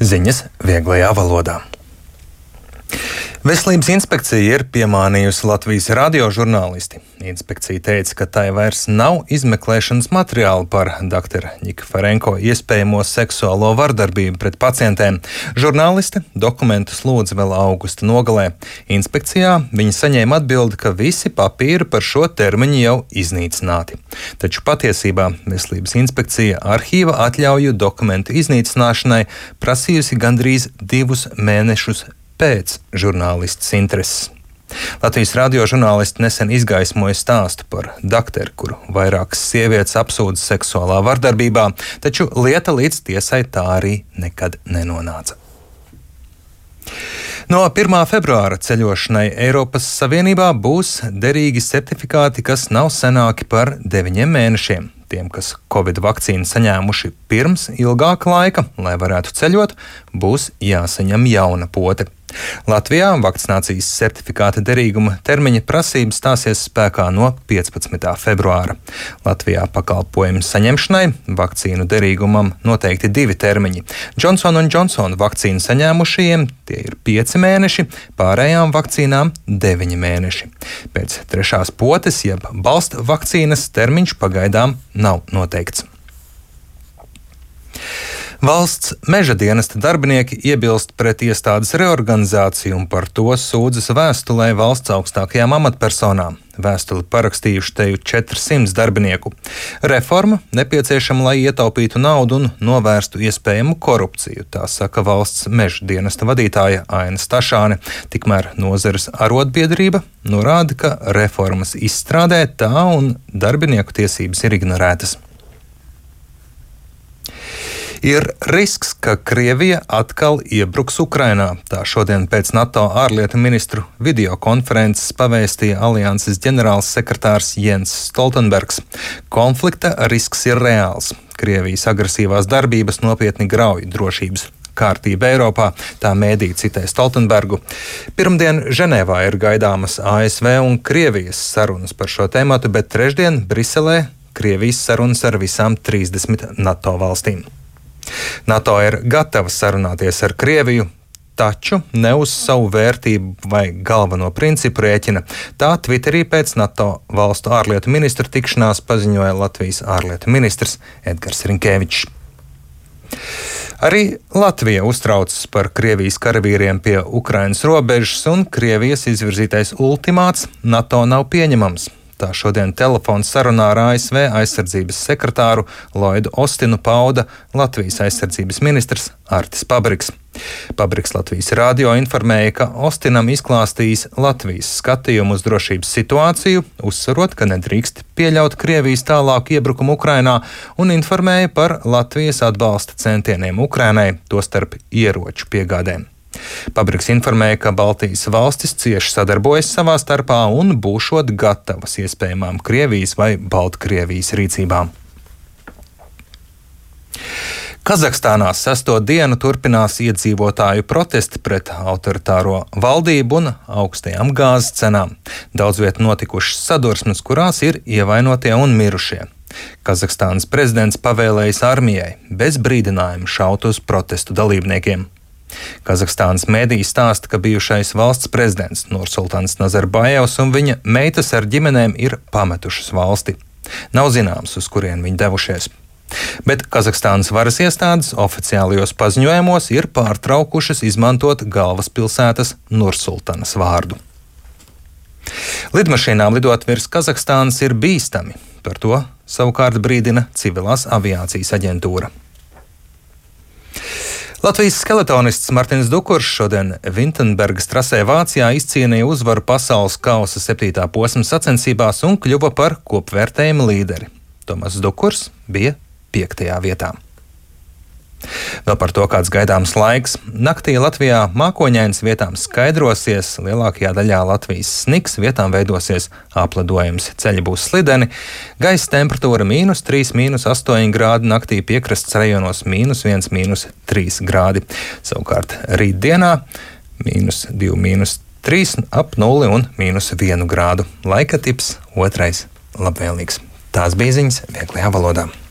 Ziņas vieglajā valodā. Veselības inspekcija ir piemānījusi Latvijas radiožurnālisti. Inspekcija teica, ka tai vairs nav izmeklēšanas materiāli par dr. Ņikaferenko iespējamo seksuālo vardarbību pret pacientēm. Žurnāliste dokumentus lūdza vēl augusta nogalē. Inspekcijā viņa saņēma atbildi, ka visi papīri par šo termiņu jau iznīcināti. Taču patiesībā Veselības inspekcija arhīva atļauju dokumentu iznīcināšanai prasījusi gandrīz 2 mēnešus pēc žurnālistas intereses. Latvijas radiožurnālisti nesen izgaismoja stāstu par dakteru, kuru vairākas sievietes apsūdza seksuālā vardarbībā, taču lieta līdz tiesai tā arī nekad nenonāca. No 1. februāra ceļošanai Eiropas Savienībā būs derīgi certifikāti, kas nav senāki par 9 mēnešiem. Tiem, kas Covid vakcīnu saņēmuši pirms ilgāka laika, lai varētu ceļot, būs jāsaņem jauna pote. Latvijā vakcinācijas certifikāta derīguma termiņa prasības stāsies spēkā no 15. februāra. Latvijā pakalpojumu saņemšanai vakcīnu derīgumam noteikti 2 termiņi. Johnson & Johnson vakcīnu saņēmušajiem tie ir 5 mēneši, pārējām vakcīnām 9 mēneši. Pēc 3. potes, jeb balsta vakcīnas termiņš pagaidām nav noteikts. Valsts meža dienesta darbinieki iebilst pret iestādes reorganizāciju un par to sūdzas vēstulē valsts augstākajām amatpersonām. Vēstuli parakstījuši teju 400 darbinieku. Reforma nepieciešama, lai ietaupītu naudu un novērstu iespējamu korupciju, tā saka valsts meža dienesta vadītāja Aina Stašāne. Tikmēr nozares arotbiedrība norāda, ka reformas izstrādē tā un darbinieku tiesības ir ignorētas. Ir risks, ka Krievija atkal iebruks Ukrainā. Tā šodien pēc NATO ārlietu ministru videokonferences pavēstīja alianses ģenerāls sekretārs Jens Stoltenbergs. Konflikta risks ir reāls. Krievijas agresīvās darbības nopietni grauj drošības kārtību Eiropā, tā mēdī citē Stoltenbergu. Pirmdien Ženēvā ir gaidāmas ASV un Krievijas sarunas par šo tēmatu, bet trešdien Briselē Krievijas sarunas ar visām 30 NATO valstīm. NATO ir gatava sarunāties ar Krieviju, taču ne uz savu vērtību vai galveno principu rēķina. Tā Twitterī pēc NATO valstu ārlietu ministru tikšanās paziņoja Latvijas ārlietu ministrs Edgars Rinkēvičs. Arī Latvija uztraucas par Krievijas karavīriem pie Ukrainas robežas, un Krievijas izvirzītais ultimāts NATO nav pieņemams. Tā šodien telefona sarunā ar ASV aizsardzības sekretāru Lloydu Ostinu pauda Latvijas aizsardzības ministrs Artis Pabriks. Pabriks Latvijas radio informēja, ka Ostinam izklāstījis Latvijas skatījumu uz drošības situāciju, uzsverot, ka nedrīkst pieļaut Krievijas tālāku iebrukumu Ukrainā, un informēja par Latvijas atbalsta centieniem Ukrainai, tostarp ieroču piegādēm. Pabriks informēja, ka Baltijas valstis cieši sadarbojas savā starpā un būšot gatavas iespējamām Krievijas vai Baltkrievijas rīcībām. Kazahstānā 6. dienu turpinās iedzīvotāju protesti pret autoritāro valdību un augstajām gāzes cenām. Daudz viet notikušas sadursmes, kurās ir ievainotie un mirušie. Kazahstānas prezidents pavēlējis armijai bez brīdinājuma šaut uz protestu dalībniekiem. Kazahstānas mediji stāsta, ka bijušais valsts prezidents Nursultāns Nazarbājevs un viņa meitas ar ģimenēm ir pametušas valsti. Nav zināms, uz kurien viņi devušies. Bet Kazahstānas varas iestādes oficiālajos paziņojumos ir pārtraukušas izmantot galvaspilsētas Nursultānas vārdu. Lidmašīnām lidot virs Kazahstānas ir bīstami. Par to savukārt brīdina Civilās aviācijas aģentūra. Latvijas skeletonists Martins Dukurs šodien Vintenbergas trasē Vācijā izcīnīja uzvaru pasaules kausa 7. posma sacensībās un kļuva par kopvērtējuma līderi. Tomas Dukurs bija 5. vietā. Vēl par to, kāds gaidāms laiks. Naktī Latvijā mākoņains, vietām skaidrosies, lielākajā daļā Latvijas sniks, vietām veidosies apledojums, ceļi būs slideni, gaisa temperatūra -3, -8 grādi, naktī piekrastes rajonos -1, -3 grādi. Savukārt rītdienā -2, -3, ap 0 un -1 grādu. Laika tips 2. labvēlīgs. Tās bija ziņas vieglajā valodā.